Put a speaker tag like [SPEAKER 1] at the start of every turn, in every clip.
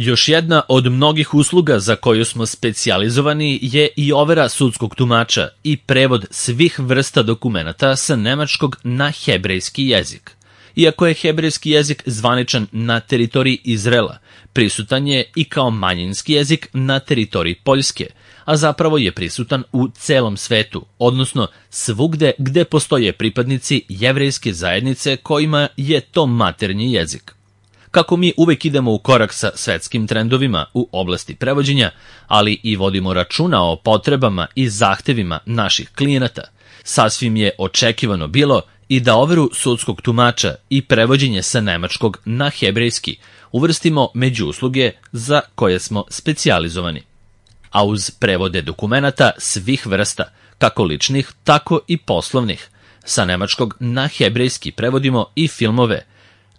[SPEAKER 1] Još jedna od mnogih usluga za koju smo specijalizovani je i overa sudskog tumača i prevod svih vrsta dokumenata sa nemačkog na hebrejski jezik. Iako je hebrejski jezik zvaničan na teritoriji Izraela, prisutan je i kao manjinski jezik na teritoriji Poljske, a zapravo je prisutan u celom svetu, odnosno svugde gde postoje pripadnici jevrejske zajednice kojima je to maternji jezik. Kako mi uvek idemo u korak sa svetskim trendovima u oblasti prevođenja, ali i vodimo računa o potrebama i zahtevima naših klijenata, sasvim je očekivano bilo i da overu sudskog tumača i prevođenje sa nemačkog na hebrejski uvrstimo među usluge za koje smo specijalizovani. A uz prevode dokumenata svih vrsta, kako ličnih, tako i poslovnih, sa nemačkog na hebrejski prevodimo i filmove,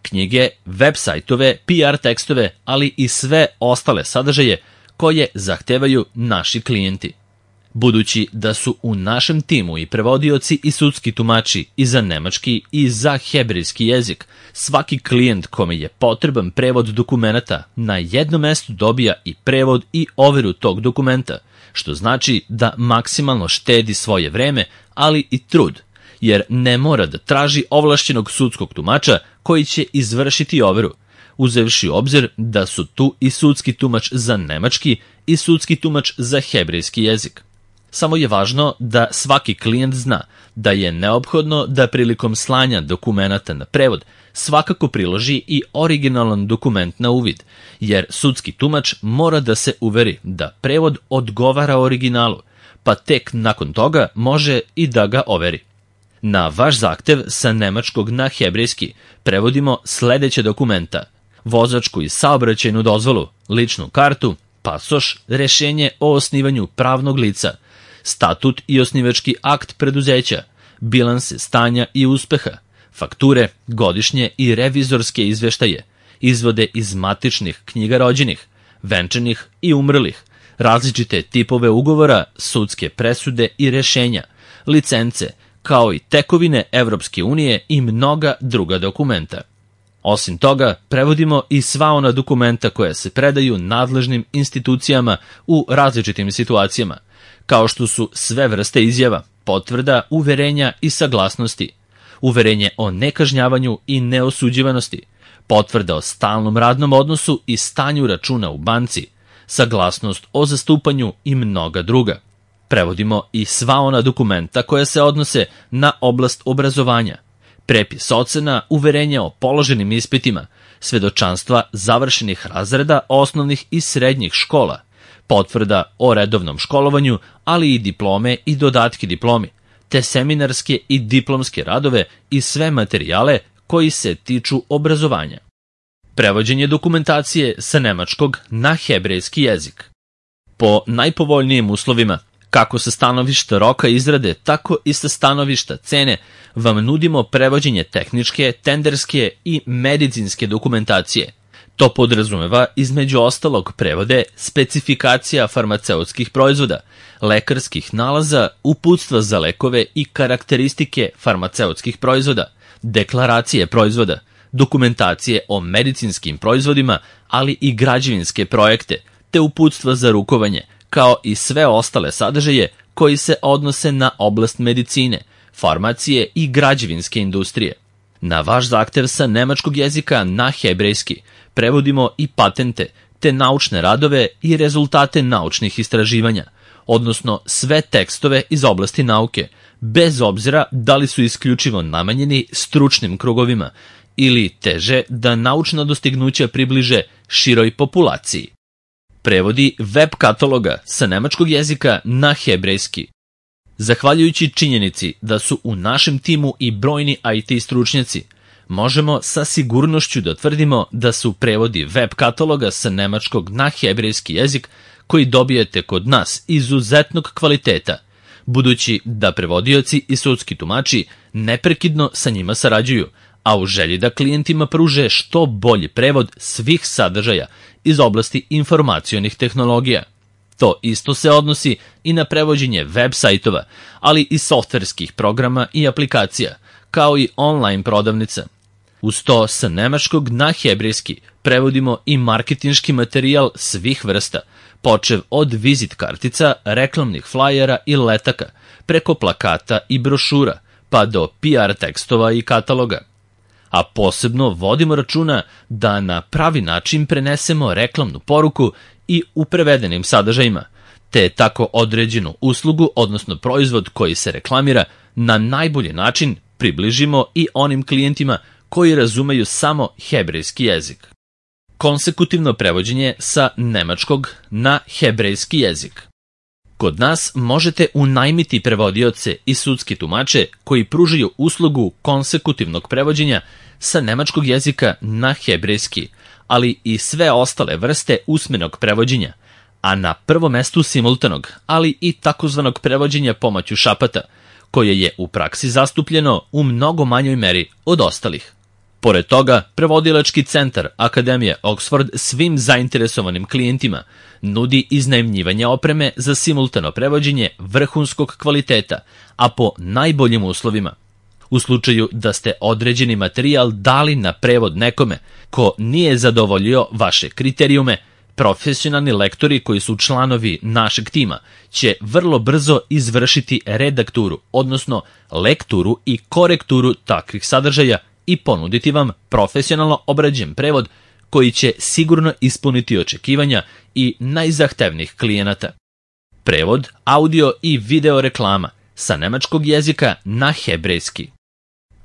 [SPEAKER 1] knjige, web sajtove, PR tekstove, ali i sve ostale sadržaje koje zahtevaju naši klijenti. Budući da su u našem timu i prevodioci i sudski tumači i za nemački i za hebrejski jezik, svaki klijent kome je potreban prevod dokumenata na jednom mestu dobija i prevod i overu tog dokumenta, što znači da maksimalno štedi svoje vreme, ali i trud, jer ne mora da traži ovlašćenog sudskog tumača koji će izvršiti overu, uzevši u obzir da su tu i sudski tumač za nemački i sudski tumač za hebrejski jezik. Samo je važno da svaki klijent zna da je neophodno da prilikom slanja dokumenata na prevod svakako priloži i originalan dokument na uvid, jer sudski tumač mora da se uveri da prevod odgovara originalu, pa tek nakon toga može i da ga overi. Na vaš zahtev sa nemačkog na hebrejski prevodimo sledeće dokumenta: vozačku i saobraćajnu dozvolu, ličnu kartu, pasoš, rešenje o osnivanju pravnog lica, statut i osnivački akt preduzeća, bilanse stanja i uspeha, fakture, godišnje i revizorske izveštaje, izvode iz matičnih knjiga rođenih, venčanih i umrlih, različite tipove ugovora, sudske presude i rešenja, licence, kao i tekovine Evropske unije i mnoga druga dokumenta. Osim toga, prevodimo i sva ona dokumenta koja se predaju nadležnim institucijama u različitim situacijama, kao što su sve vrste izjava, potvrda, uverenja i saglasnosti, uverenje o nekažnjavanju i neosuđivanosti, potvrda o stalnom radnom odnosu i stanju računa u banci, saglasnost o zastupanju i mnoga druga. Prevodimo i sva ona dokumenta koja se odnose na oblast obrazovanja, prepis ocena, uverenja o položenim ispitima, svedočanstva završenih razreda osnovnih i srednjih škola, potvrda o redovnom školovanju, ali i diplome i dodatke diplomi, te seminarske i diplomske radove i sve materijale koji se tiču obrazovanja. Prevođenje dokumentacije sa nemačkog na hebrejski jezik. Po najpovoljnijim uslovima, kako sa stanovišta roka izrade, tako i sa stanovišta cene, vam nudimo prevođenje tehničke, tenderske i medicinske dokumentacije. To podrazumeva između ostalog prevode specifikacija farmaceutskih proizvoda, lekarskih nalaza, uputstva za lekove i karakteristike farmaceutskih proizvoda, deklaracije proizvoda, dokumentacije o medicinskim proizvodima, ali i građevinske projekte, te uputstva za rukovanje, kao i sve ostale sadržaje koji se odnose na oblast medicine, farmacije i građevinske industrije. Na vaš zahtev sa nemačkog jezika na hebrejski prevodimo i patente, te naučne radove i rezultate naučnih istraživanja, odnosno sve tekstove iz oblasti nauke, bez obzira da li su isključivo namenjeni stručnim krugovima ili teže da naučna dostignuća približe široj populaciji. Prevodi web kataloga sa nemačkog jezika na hebrejski. Zahvaljujući činjenici da su u našem timu i brojni IT stručnjaci, možemo sa sigurnošću da tvrdimo da su prevodi web kataloga sa nemačkog na hebrejski jezik koji dobijete kod nas izuzetnog kvaliteta, budući da prevodioci i sudski tumači neprekidno sa njima sarađuju, a u želji da klijentima pruže što bolji prevod svih sadržaja iz oblasti informacionih tehnologija. To isto se odnosi i na prevođenje web sajtova, ali i softverskih programa i aplikacija, kao i online prodavnica. Uz to sa nemačkog na hebrejski prevodimo i marketinški materijal svih vrsta, počev od vizit kartica, reklamnih flajera i letaka, preko plakata i brošura, pa do PR tekstova i kataloga. A posebno vodimo računa da na pravi način prenesemo reklamnu poruku i u prevedenim sadržajima, te tako određenu uslugu, odnosno proizvod koji se reklamira, na najbolji način približimo i onim klijentima koji razumeju samo hebrejski jezik. Konsekutivno prevođenje sa nemačkog na hebrejski jezik. Kod nas možete unajmiti prevodioce i sudski tumače koji pružaju uslugu konsekutivnog prevođenja sa nemačkog jezika na hebrejski, ali i sve ostale vrste usmenog prevođenja, a na prvom mestu simultanog, ali i takozvanog prevođenja pomoću šapata, koje je u praksi zastupljeno u mnogo manjoj meri od ostalih. Pored toga, prevodilački centar Akademije Oxford svim zainteresovanim klijentima nudi iznajmljivanje opreme za simultano prevođenje vrhunskog kvaliteta, a po najboljim uslovima. U slučaju da ste određeni materijal dali na prevod nekome ko nije zadovoljio vaše kriterijume, profesionalni lektori koji su članovi našeg tima će vrlo brzo izvršiti redakturu, odnosno lekturu i korekturu takvih sadržaja i ponuditi vam profesionalno obrađen prevod koji će sigurno ispuniti očekivanja i najzahtevnijih klijenata. Prevod, audio i video reklama sa nemačkog jezika na hebrejski.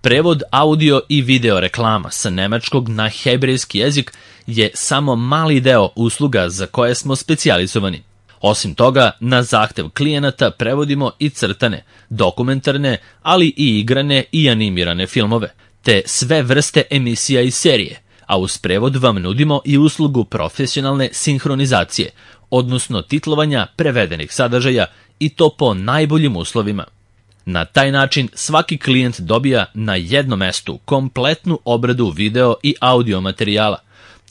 [SPEAKER 1] Prevod audio i video reklama sa nemačkog na hebrejski jezik je samo mali deo usluga za koje smo specijalizovani. Osim toga, na zahtev klijenata prevodimo i crtane, dokumentarne, ali i igrane i animirane filmove, te sve vrste emisija i serije, a uz prevod vam nudimo i uslugu profesionalne sinhronizacije, odnosno titlovanja prevedenih sadržaja i to po najboljim uslovima. Na taj način svaki klijent dobija na jednom mestu kompletnu obradu video i audio materijala,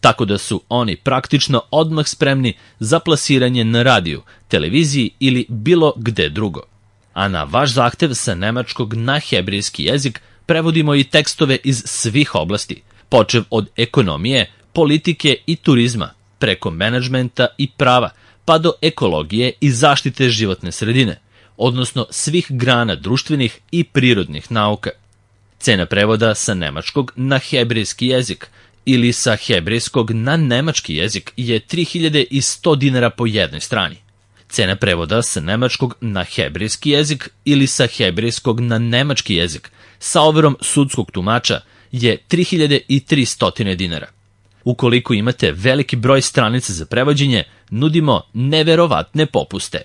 [SPEAKER 1] tako da su oni praktično odmah spremni za plasiranje na radiju, televiziji ili bilo gde drugo. A na vaš zahtev sa nemačkog na hebrejski jezik prevodimo i tekstove iz svih oblasti, počev od ekonomije, politike i turizma, preko menadžmenta i prava, pa do ekologije i zaštite životne sredine, odnosno svih grana društvenih i prirodnih nauka. Cena prevoda sa nemačkog na hebrejski jezik ili sa hebrejskog na nemački jezik je 3100 dinara po jednoj strani. Cena prevoda sa nemačkog na hebrejski jezik ili sa hebrejskog na nemački jezik sa overom sudskog tumača je 3300 dinara. Ukoliko imate veliki broj stranica za prevođenje, nudimo neverovatne popuste.